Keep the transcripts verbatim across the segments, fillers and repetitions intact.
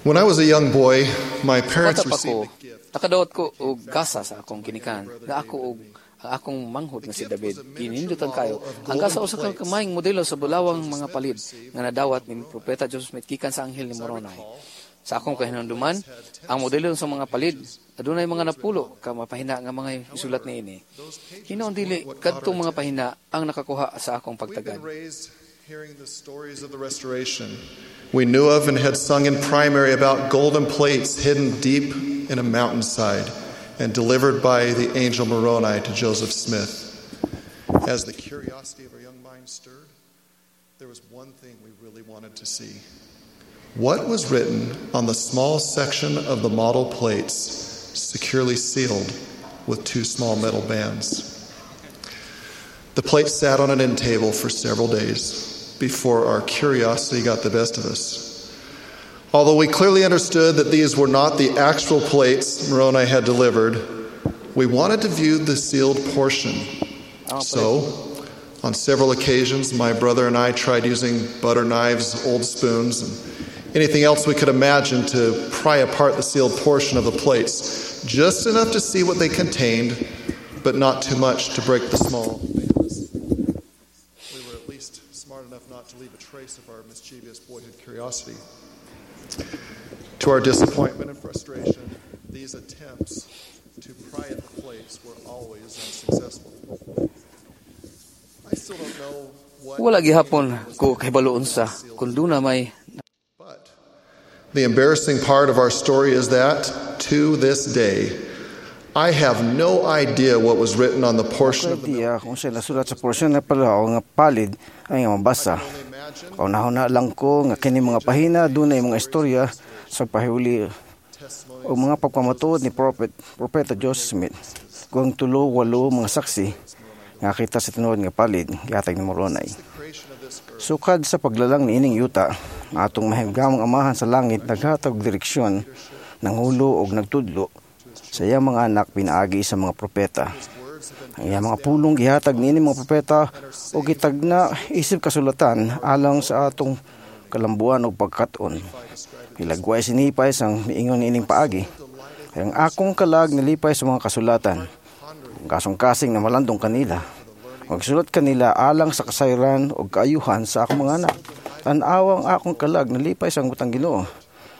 When I was a young boy, my parents Bata pa received ko, a gift. Nakadawat ko og gasa sa akong ginikan nga ako og ang akong manghod nga si David ginindutan kayo. Ang gasa usa ka kamayong modelo sa bulawang mga palid nga nadawat ni Propeta Joseph Smith gikan sa anghel ni Moroni. Sa akong kahinumduman, ang modelo sa mga palid adunay mga napulo ka mga pahina nga mga isulat niini. Hinuon dili kadtong mga pahina ang nakakuha sa akong We've pagtagad. Been raised hearing the stories of the Restoration. We knew of and had sung in primary about golden plates hidden deep in a mountainside and delivered by the angel Moroni to Joseph Smith. As the curiosity of our young minds stirred, there was one thing we really wanted to see. What was written on the small section of the model plates, securely sealed with two small metal bands? The plates sat on an end table for several days before our curiosity got the best of us. Although we clearly understood that these were not the actual plates Moroni had delivered, we wanted to view the sealed portion. So, on several occasions, my brother and I tried using butter knives, old spoons, and anything else we could imagine to pry apart the sealed portion of the plates, just enough to see what they contained, but not too much to break the small bands. We were at least smart enough not to leave a trace of our mischievous boyhood curiosity. To our disappointment and frustration, these attempts to pry at the plates were always unsuccessful. I still don't know what Wala gihapon ko kahibalo unsa kung duna may But the embarrassing part of our story is that, to this day, I have no idea what was written on the portion of the Idea kung sa nasulat sa porsyon na pala nga palid ay nga mabasa. Kaunahon lang ko nga kini mga pahina dunay mga istorya sa pahiuli o mga pagpamatuod ni Prophet Propeta Joseph Smith kung tulo walo mga saksi nga kita sa tinuod nga palid gihatag ni Moroni. Sukad sa paglalang niining yuta, ang atong mahimgamong Amahan sa langit naghatag og direksyon, nanghulo og nagtudlo sa iyang mga anak pinaagi sa mga propeta. Ang iyang mga pulong gihatag niini mga propeta og gitagna isip kasulatan alang sa atong kalambuan ug pagkat-on. Hilagway si Nephi sang miingon niining paagi. Ang akong kalag nalipay sa mga kasulatan. Ang kasing-kasing na malandong kanila. Magsulat kanila alang sa kasayran o kaayuhan sa akong mga anak. Tan-awa, ang akong kalag nalipay sa butang Ginoo.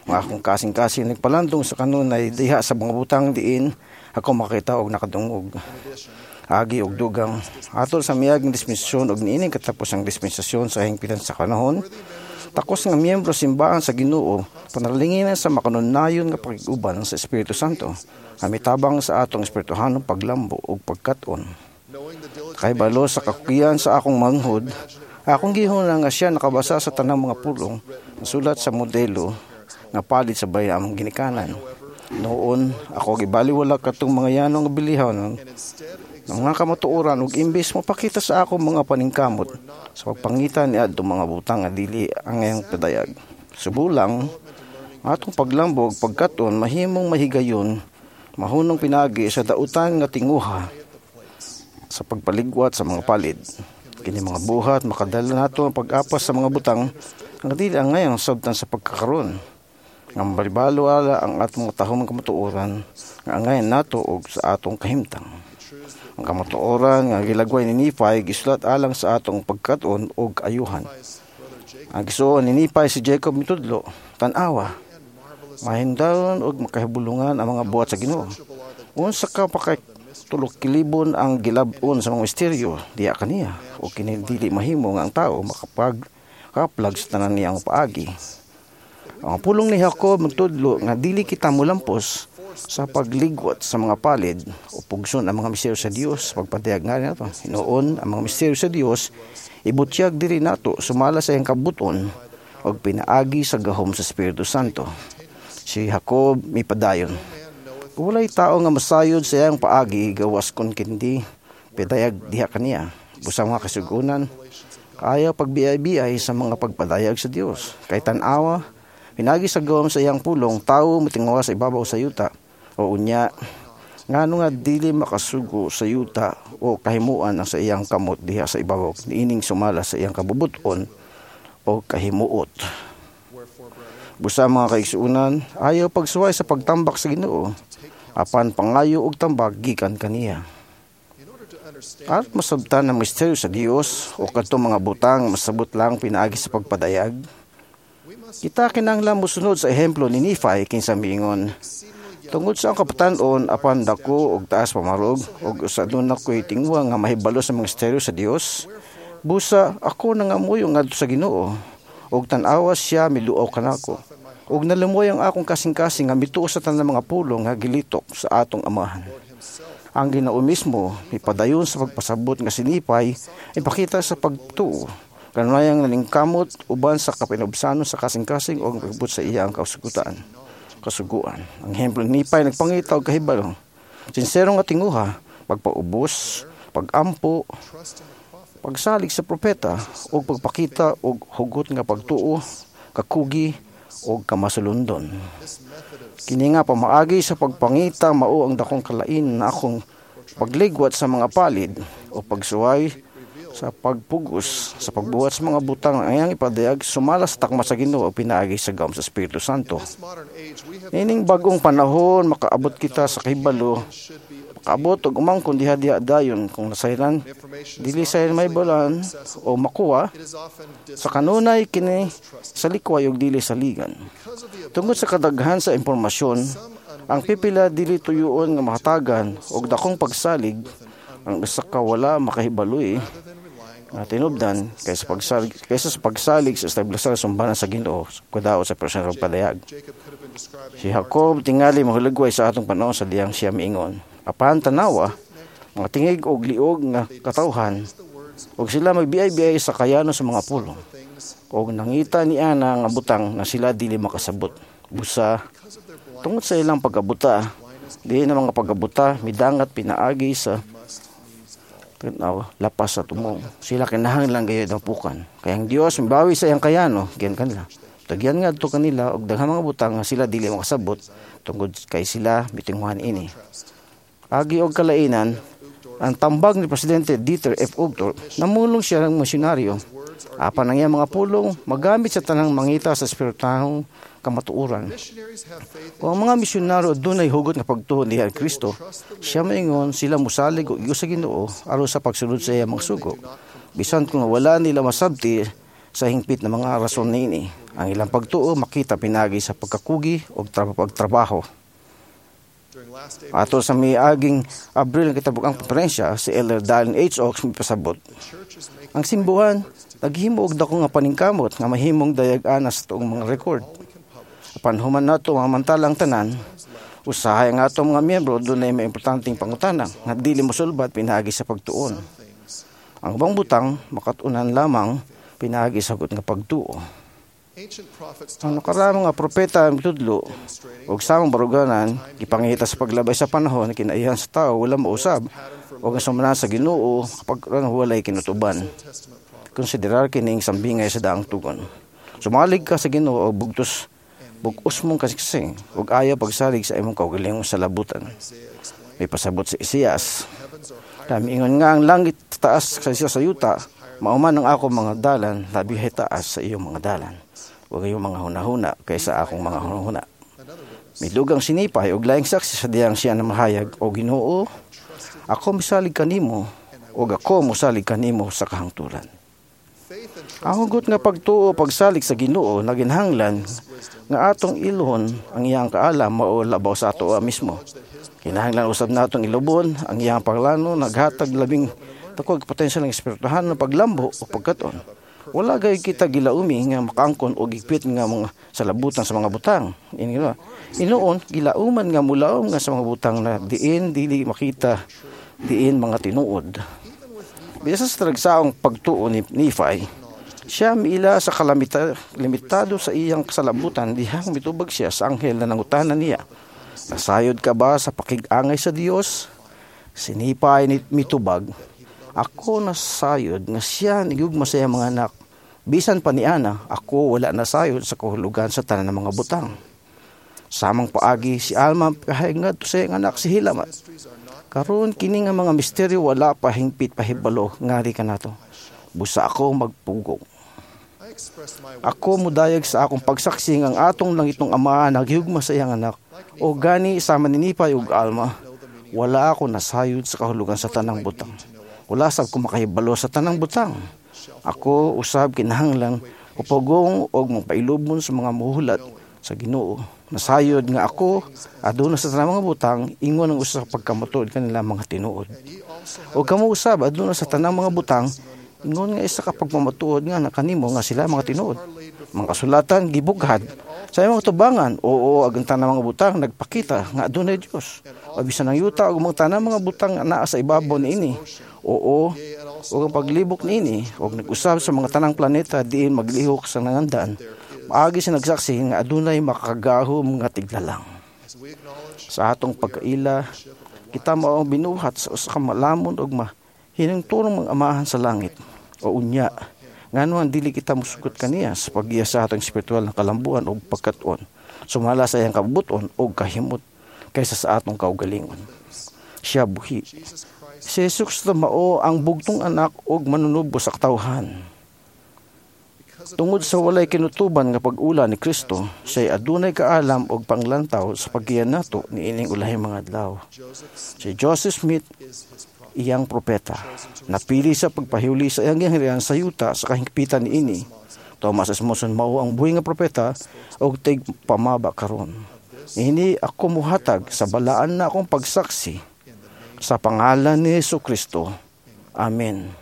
Ang akong kasing-kasing nagpalandong sa kanunay diha sa mga butang diin ako makita og nakadungog. Agi og dugang atol sa miaging dispensasyon og niining katapusang dispensasyon sa hingpitan sa kanahon, takos nga miyembro simbahan sa Ginoo panalanginan sa makanunayon nga pakig-uban sa Espiritu Santo nga mitabang sa atong espirituhanong paglambo ug pagkat-on. Kay balo sa kakukiyan sa akong manghod, akong gihuna nga siya nakabasa sa tanang mga pulong nasulat sa modelo nga palid sa balay among ginikanan. Noon, ako gibaliwala katong mga yano nga bilihaw ng ng mga kamatuoran ug imbes mopakita sa akong mga paningkamot sa pagpangita ni adtong mga butang nga dili angayang padayag. Subulang, ang atong paglambo ug pagkat-on mahimong mahigayon, mahunong pinaagi sa dautan nga tinguha sa pagpaligwat sa mga palid. Kini mga buhat makadala nato ang pag-apas sa mga butang nga dili angayang sabtan sa pagkakaron. Nga mabalibalo ala ang atong matahom kamatuoran nga angayan nato og sa atong kahimtang. Ang kamatuoran nga gilagway ni Nephi gisulat alang sa atong pagkat-on og ayuhan. Ang gisuon ni Nephi si Jacob mitudlo, tan-awa, mahindalon og makahibulungan ang mga buhat sa Ginoo. Unsa ka pakay tulok kilibon ang gilab-on sa mga misteryo diha kaniya o kini dili mahimo nga ang tao makapag kaplag sa tanan niyang paagi. Ang pulong ni Jacob magtudlo nga dili kita molampos sa pagligwat sa mga palid o pugson ang mga misteryo sa Dios pagpadayag nga nato. Hinuon ang mga misteryo sa Dios ibutyag diri nato sumala sa iyang kabuton og pinaagi sa gahom sa Espiritu Santo. Si Jacob mipadayon. Walay tao nga masayod sa iyang paagi gawas kon kindi pidayag diha kaniya. Busa mga kasugunan, ayaw pagbiay-biay sa mga pagpadayag sa Dios. Kay tan-awa, pinagi sa gahom sa iyang pulong, tao motinguha sa ibabaw sa yuta. O unya, ngano nga dili makasugo sa yuta o kahimuan ang sa iyang kamot diha sa ibabaw niining sumala sa iyang kabubuton o kahimuot. Busa mga kaigsuonan, ayaw pagsuway sa pagtambak sa Ginoo, apan pangayo og tambak gikan kaniya. Aron masabtan ang misteryo sa Dios o kadtong mga butang masabot lang pinaagi sa pagpadayag, kita kinahanglan mosunod sa ehemplo ni Nephi kinsa miingon, tungod sa akong kabatan-on apan dako og taas pamarog og usa aduna ko'y tinguha nga mahibalo sa mga misteryo sa Dios, busa ako nangamuyo ngadto sa Ginoo og tan-awa siya miluaw kanako ug nalumoy ang akong kasing-kasing nga mituo sa tanang mga pulong nga gilitok sa atong amahan. Ang Ginoo mismo mipadayon sa pagpasabot nga si Nephi ipakita sa pagtuo kanunayang naningkamot uban sa kapinubsanon sa kasing-kasing o pagbut sa iya ang kasugutan. Kasuguan. Ang ehemplo ni Nephi nagpangita og kahibalo. Sinsero nga tinguha, pagpaubos, pagampo, pagsalig sa propeta ug pagpakita og hugot nga pagtuo, kakugi ug kamasulundon. Kini nga pamaagi sa pagpangita mao ang dakong kalain na akong pagligwat sa mga palid o pagsuway sa pagpugos sa pagbuhat sa mga butang ang iyang ipadayag sumala sa takma sa Ginoo o pinaagi sa gawom sa Espiritu Santo. Nining bagong panahon makaabot kita sa kahibalo, makaabot og umangkon diha diha dayon kung nasayran dili sayran mahibalan o makuha sa kanunay kini sa likway ug dili saligan. Tungod sa kadaghan sa impormasyon, ang pipila dili tuyuon nga mahatagan og dakong pagsalig ang usa ka wala makahibaloy nga tinubdan kaysa pagsalig kaysa sa pagsalig sa establishar sumbanan sa Ginoo kadaot sa personal padayag. Si Jacob tingali mahulagway sa atong panahon sa diyang siya miingon. Apan tanawa mga tingig og liog nga katawhan og sila magbiay-biay sa kayano sa mga pulong og nangita ni ana nga butang na sila dili makasabot. Busa tungod sa ilang pagabuta, di na mga pagabuta midangat pinaagi sa tanaw lapas sa tumong. Sila kinahanglan gayud ang pukan. Kaya ang Dios mibawi sa iyang kayano giyan kanila. Tagyan ngadto kanila og daghang mga butang nga sila dili makasabot tungod kay sila mitinghuhan ini. Agi og kalainan, ang tambag ni Presidente Dieter F. Uchtdorf, namulong siya ng misyonaryo. Apan ang iyang mga pulong magamit sa tanang mangita sa espirituhanong kamatuoran. Kung ang mga misyonaryo dunay hugot nga pagtuo ni Kristo, siya maingon sila mosalig og igo sa Ginoo aron sa pagsunod sa iyang mga sugo. Bisan kung wala nila masabti sa hingpit na mga rason niini, ang ilang pagtuo makita pinagi sa pagkakugi og pagtrabaho. Ato sa miaging Abril kitabok ang konferensya, si Elder Dallin H. Oaks mipasabot. Ang simbuhan naghimo og dako nga paningkamot nga mahimong dayag-ana sa tuong mga rekord. Apan human nato mamantala ang tanan, usahay ang atong mga miyembro dunay may importanteng pangutana nga dili mosulbad pinaagi sa pagtuon. Ang ubang butang makat-unan lamang pinaagi sa hugot nga pagtuo. Ang nakaraang mga propeta ang mitudlo og samang baruganan gipangita sa paglabay sa panahon kinaihan sa tao wala mausab og ang sumala sa Ginoo kapag walay kinutuban. Konsiderar kining sambingay sa daang tugon. Sumalig ka sa Ginoo og bugtos bug-os mong kasiksing ug ayaw pagsalig sa imong kaugalingon sa labutan. May pasabot si Isaias. Kami ingon nga ang langit taas sa sa yuta, mauman ang akong mga dalan, labi taas sa iyong mga dalan. Huwag iyong mga hunahuna kaysa akong mga hunahuna. Midugang si Nephi og laing saksi sa diyang siya na mahayag o Ginoo, ako misalig kanimo ug ako mosalig kanimo sa kahangturan. Ang hugot nga pagtuo pagsalig sa Ginoo naginhanglan nga atong ilhon ang iyang kaalam mao labaw sa ato mismo. Kinahanglan usab natong ilubon ang iyang paglano naghatag labing dakog potensyal ng espirituhan ng paglambo o pagkaton. Wala gay kita gilaumi nga makaangkon og higpit nga mga salabutan sa mga butang. Ini Inuon gilauman nga mulaom nga sa mga butang na diin dili makita diin mga tinuod. Bisan sa talagsaong pagtuo ni Nephi, siya miila sa kalamita, limitado sa iyang kasalabutan dihang mitubag siya sa anghel na nangutana niya. Nasayod ka ba sa pakig-angay sa Dios? Si Nephi ni mitubag, ako nasayod nga siya nigugma sa iyang mga anak. Bisan pa ni Ana, ako wala nasayod sa kahulugan sa tanan ng mga butang. Samang paagi si Alma pahayag ngadto sa iyang anak si Hilaman. Karon kini nga mga misteryo wala pa hingpit pahibalo ngari kanato. Busa ako magpugong. Ako mudayag sa akong pagsaksi nga ang atong langitnong Ama naghigugma sa iyang anak o gani sama ni Nephi ug Alma. Wala ako nasayod sa kahulugan sa tanang butang. Wala sab ko makahibalo sa tanang butang. Ako usab kinahanglan upugong og mapailubon sa mga muhulat sa Ginoo. Nasayod nga ako aduna sa tanang mga butang ingon ang usa ka pagkamatuod kanila mga tinuod. O kamo usab aduna sa tanang mga butang ingon nga isa ka pagmamatuod nga nakanimo nga sila mga tinuod. Mga kasulatan gibughad sa imong tubangan, oo, ag ang tanang mga butang nagpakita nga adunay Dios. O bisan ang yuta ug mga tanang mga butang nga naa sa ibabaw niini. Oo, ug ang paglibok niini ug nag-usab sa mga tanang planeta diin maglihok sa nangandan. Maagi sa nagsaksi nga adunay makagahom nga tiglalang. Sa atong pagkaila, kita mao ang binuhat sa usa ka malamon ug mahinungturong mga amahan sa langit. O unya, ngano ang dili kita musugot kaniya sa paggiya sa atong espiritual na kalambuan ug pagkat-on, sumala sa iyang kabubuton ug kahimot kaysa sa atong kaugalingon. Siya buhi. Si Jesus Kristo mao ang bugtong anak ug manunubos sa katawhan. Tungod sa walay kinutuban nga pag-ula ni Kristo, siya'y adunay kaalam og panglantaw sa paggiya nato niining ulahing mga adlaw. Si Joseph Smith iyang propeta. Napili sa pagpahiuli sa iyang gingharian sa yuta sa kahingpitan niini. Thomas S. Monson mao ang buhi nga propeta og tig pamaba karon. Ini ako muhatag sa balaan na akong pagsaksi sa pangalan ni Hesus Kristo. Amen.